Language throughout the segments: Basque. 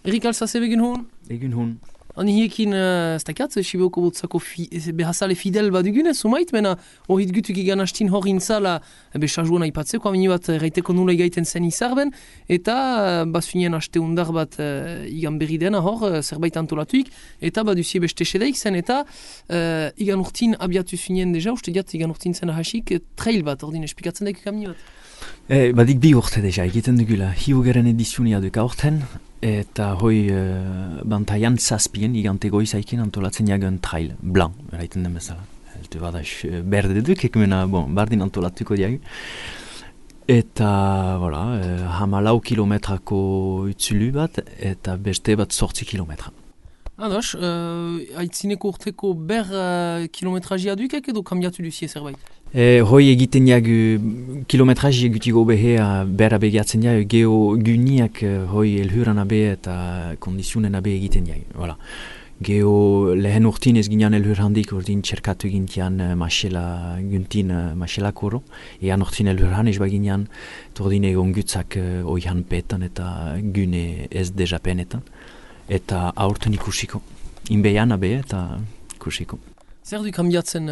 Erik Alsace begin hon? Egin hon. Ani hiekin, ez dakat, Siboko botzako behazale fidel bat dugunez, sumait, mena hori gutuk igan hastin hori intzala besajuan aipatzeko, amini bat reiteko nula igaiten zen izarben, eta basunien haste undar bat igan berri dena hor, zerbait antolatuik, eta baduzie beste sedeik zen, eta igan urtin abiatu zunien deja, uste diat igan urtin zen ahasik, trail bat, ordin espikatzen daik amini bat. Badik bi urte deja, egiten dugula, hiugaren edizunia duk aurten, eta hoi bantaian zazpien igante goizaikin antolatzen jagen trail, blanc, eraiten den bezala. Elte badaz, berde duk, ekmena, bardin antolatuko diagu. Eta, voilà, 14 kilometrako utzulu bat, eta beste bat 8 kilometra. Ados, aitzineko urteko kilometrazia dukek edo kambiatu duzie zerbait? Hoi egiten jagu kilometraji egutigo behea berra begiatzen jagu geo guniak hoi elhuran abe eta kondizionen abe egiten jagu. Voilà. Geo lehen urtin ez ginean elhur handik urdin txerkatu gintian masela guntin masela koro. Ean urtin elhur han ez baginean tordin egon gutzak oihan petan eta gune ez deja penetan. Eta aurten ikusiko. Inbeian abe eta ikusiko. Zer du kambiatzen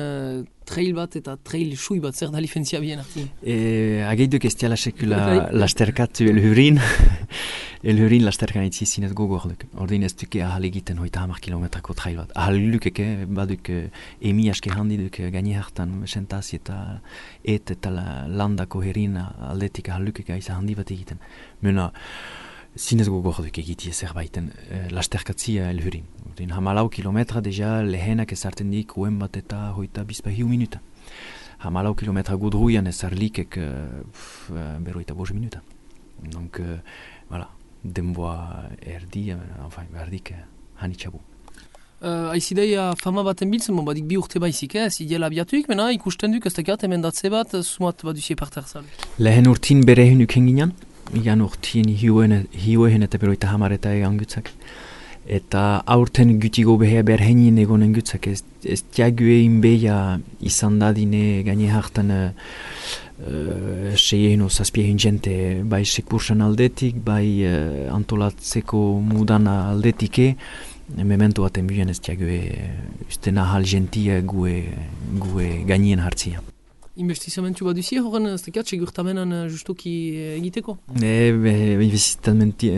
trail bat eta trail sui bat, zer da lifentzia bien artin? Ageiduk ez diala sekula lasterkatu elhurin. Elhurin lasterkan itzi zinez gogorduk. Ordin ez duke ahal egiten 30 kilometrako trail bat. Ahal lukeke baduk emi aske handi duk gaini hartan sentazi eta eta landako herin aldetik ahal lukeke aiza handi bat egiten. Mena zinez gogorduk egitie zerbaiten lasterkatzia elhurin. 14 kilometra deja lehenak ezarten dik uen bat eta hoita bizpa hiu minuta. 14 kilometra gudruian ezarlikek berroita 5 minuta. Donc, voilà, denboa erdi, enfin, berdik hanitxabu. Aizideia fama baten biltzen, badik bi urte baizik, zidiela abiatuik, mena ikusten duk ez dakat emendatze bat, sumat baduzie parterzal. Lehen urtin bere hunuk henginan, igan urtin hiuehen eta berroita hamareta egan gutzak. Eta aurten gutigo behea berhenien egonen gutzak ez diague inbeia izan dadine gaine hartan seien o zazpien jente bai sekursan aldetik, bai antolatzeko mudan aldetike memento baten buen ez diague ustena hal gentia gue gainien hartzia. Investizamentu bat duzie horren ez dakat segurtamenan justuki egiteko? Investizamenti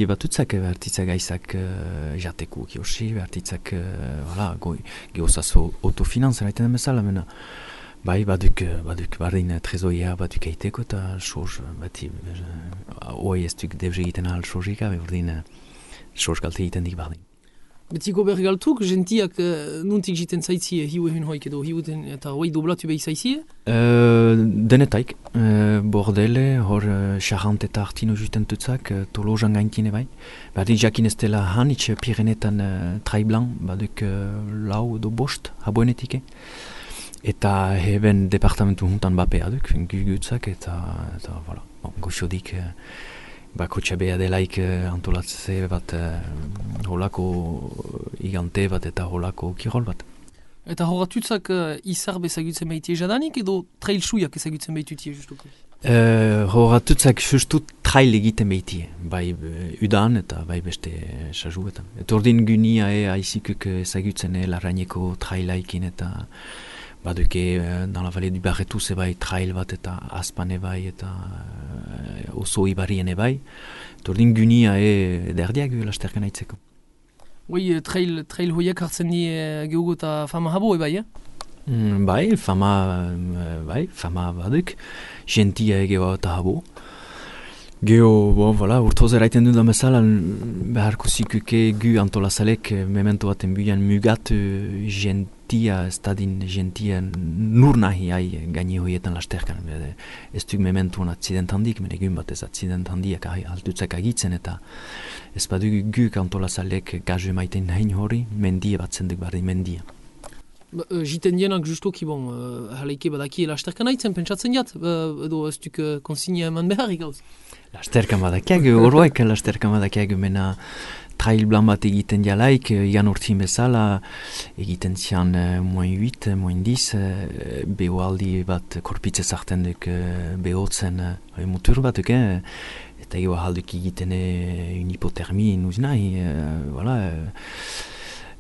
bat utzak bertitzak gaizak jateko kiosi, bertitzak geozazo autofinanz eraiten den bezala, mena bai baduk bardin trezoia baduk eiteko eta soz bati hoi ez duk debze egiten ahal sozika, berdin soz galte egiten dik bardin. Betiko bergaltuk, gentiak nuntik jiten zaitzie hiue hun hoik edo hiuten eta hoi doblatu behi zaitzie? Denetaik, bordele, hor xarrant eta artino juten tutzak, tolojan gaintine bai. Berdin jakin ez dela hanitz Pirenetan traiblan, baduk lau edo bost haboenetike. Eta heben departamentu juntan bapea duk, gugutzak eta voilà, goxodik bakotxa beha delaik antolatze bat holako igante bat eta holako kirol bat. Eta horatutzak izar bezagutzen behitie jadanik edo trail suiak ezagutzen behitutie justuko? Horatutzak justu trail egiten behitie, bai udan eta bai beste sajuetan. Eta ordin gunia aizikuk ezagutzen larraineko trailaikin eta baduke dans la vallée du Barretus bai trail bat eta Aspan bai eta oso ibarien bai. Tordin gunia derdiak lasterkan aitzeko. Oui, trail hoiak hartzen di gehugo eta fama habo bai, Bai, fama baduk. Gentia egeo eta habo. Geo, voilà, urtoz eraiten du da mesala, beharko zikuke gu antolazalek memento baten buian mugat gentia, estadin gentia nur nahi gaini hoietan lasterkan. Ez duk mementuan accident handik, men egun bat ez accident handiak altutzak agitzen eta ez badu gu antolazalek gazu maiten hain hori, mendia bat zenduk bardin mendia. Jiten dienak justuki haleike badaki lasterkan aitzen pentsatzen jat, edo ez duk konsignia eman beharrik gauz? Lasterkan badakiagu, horroek lasterkan badakiagu, mena trail blan bat egiten jalaik, igan urtin bezala, egiten zian -8, -10, beho aldi bat korpitze zarten duk behotzen mutur batuk, eta gero ahalduk egiten un hipotermi nuz nahi, voilà,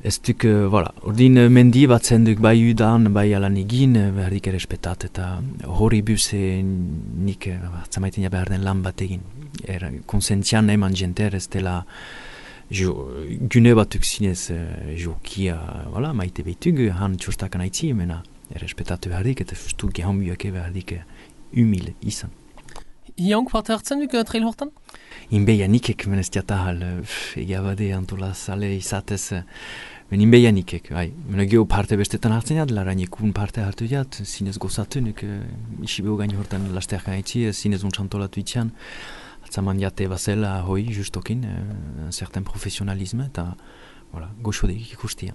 ez duk, voilà, ordin mendi batzen duk bai udan, bai alan egin, behar dik errespetat, eta hori buz nik hartzamaiten ja behar den lan bat egin. Konsentzian eman jenter ez dela gune batuk zinez jokia, voilà, maite behitug, han txostakan haitzi, mena errespetatu behar dik, eta justu gehan biake behar dik humil izan. Hiank parte hartzen duk trail hortan? Inbeia nikek, menez diatahal, egabade antola sale izatez, inbeia nikek, bai. Mena geho parte bestetan hartzen jat, larainikun parte hartu jat, zinez gozatu, nek isibeo gain hortan lasterkan haitzi, zinez untsantolatu itxan, atzaman jate bazela hoi, justokin, un certain professionalisme, eta voilà, goxodik ikustia.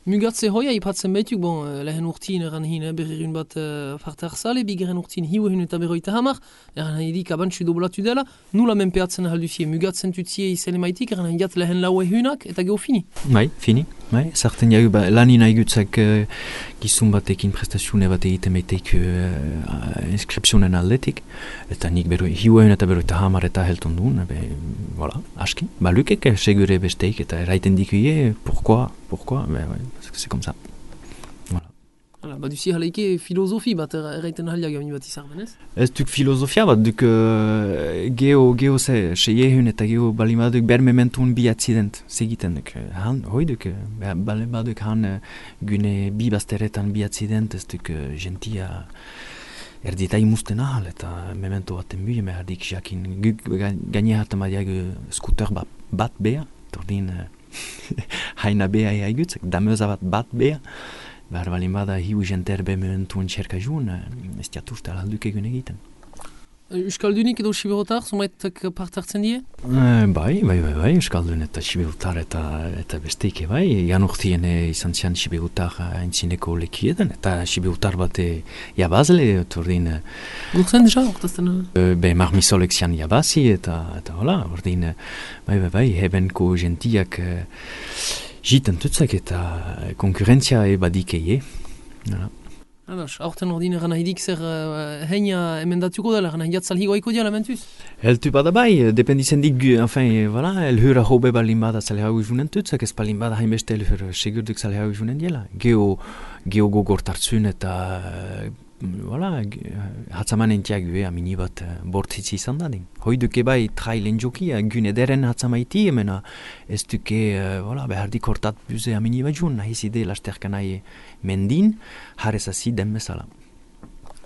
Mugatze hoia ipatzen behituk, lehen urtien eran hin berrirun bat parte harzale, bigeren urtien hiu ehun eta berroita hamar, eran edik abantxu doblatu dela, nula menpeatzen ahalduzie, mugatzen tutzie izele maitik, eran jat lehen lau ehunak, eta geho fini. Bai, fini, bai, sartzen jau, lanin haigutzak gizun batekin prestazione bat egiten beiteik inskripzionen aldetik, eta nik hiu ehun eta berroita hamar eta helton duen, voilà, aski, balukek segure besteik, eta eraiten dikuie, pourquoi, parce que c'est comme ça. Voilà. Duzi haleike filosofi bat erraiten ahaliak gamini bat izan, benez? Ez duk filosofia bat, duk geho seiehun eta geho balimaduk ber mementun bi accident segiten duk. Hoi duk, balimaduk han gune bi bazteretan bi accident, ez duk gentia erdita imusten ahal, eta memento baten bui, merdik jakin gaine hartan badiak skuter bat bea, tordin haina bea eaigutzak, dameuza bat bea, behar balin bada hiu jenter be mementuen txerka juun, ez diatuzte alalduk egun egiten. Euskaldunik edo Siberotar, zumaitak parte hartzen die? Bai, Euskaldun eta Siberotar eta besteike bai. Jan urtien izan zian Siberotar haintzineko lekietan, eta Siberotar bat jabazle, tordin... Gurtzen deja, ortazten? Marmisolek zian jabazi, eta hola, ordin, bai, hebenko gentiak jiten tutzak eta konkurrentzia ebadikeie. Ados, aurten ordin eran nahidik zer heina emendatuko dela, eran nahiat zalhigoaiko diala mentuz? Heltu bada bai, dependitzen dik, enfin, voilà, elhura hobe balin bada zalhau junen tutzak, ez balin bada hainbeste elhura segurduk zalhau junen diela. Geo gogortartzun eta, voilà, hatzaman entiak amini bat bortzitzi izan dadin. Hoi duke bai trailen jokia, gune deren hatzamaiti, emena ez duke, voilà, behardik hortat buze amini bat jun, nahiz ide lasterka nahi mendin, jarrezazi den bezala.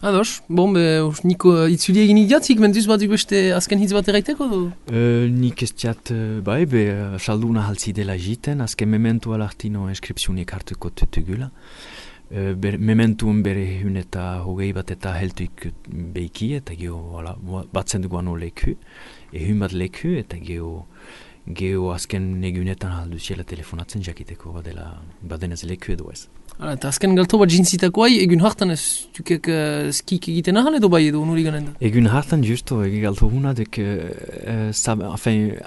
Ados, niko itzuli egin idiatzik, mentuz bat beste azken hitz bat eraiteko du? Nik ez diat, bai, salduna haltzi dela jiten, azken mementu alartino inskripzionik hartuko tutugula. Mementuen bere hun eta hogei bat eta heltuik beiki, eta geho batzen dugu ano leku, hun bat leku, eta geho azken negunetan halduziela telefonatzen jakiteko badenez leku edo ez. Eta azken galto bat jintzitakoai, egun hartan ez dukek skik egiten ahal edo bai edo nuri ganen da? Egun hartan justo, egun galto huna duk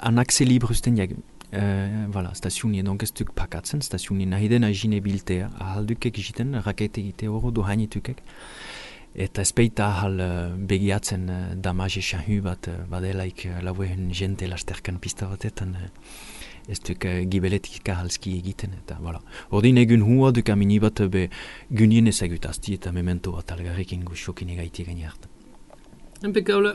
anakse libre usten jagun. Voilà, stasiuni, donc ez duk pakatzen, stasiuni nahi dena jine biltea, ahal dukek jiten, rakete egite horo do hainitukek. Eta ezpeita ahal begiatzen damaje xahu bat badelaik lauehen jente lasterkan pista batetan, ez duk gibeletik ahalski egiten, eta voilà. Ordin egun hua duk amini bat gunien ezagutazti eta memento bat algarrekin goxokin egaiti gani hartan. Impeccable.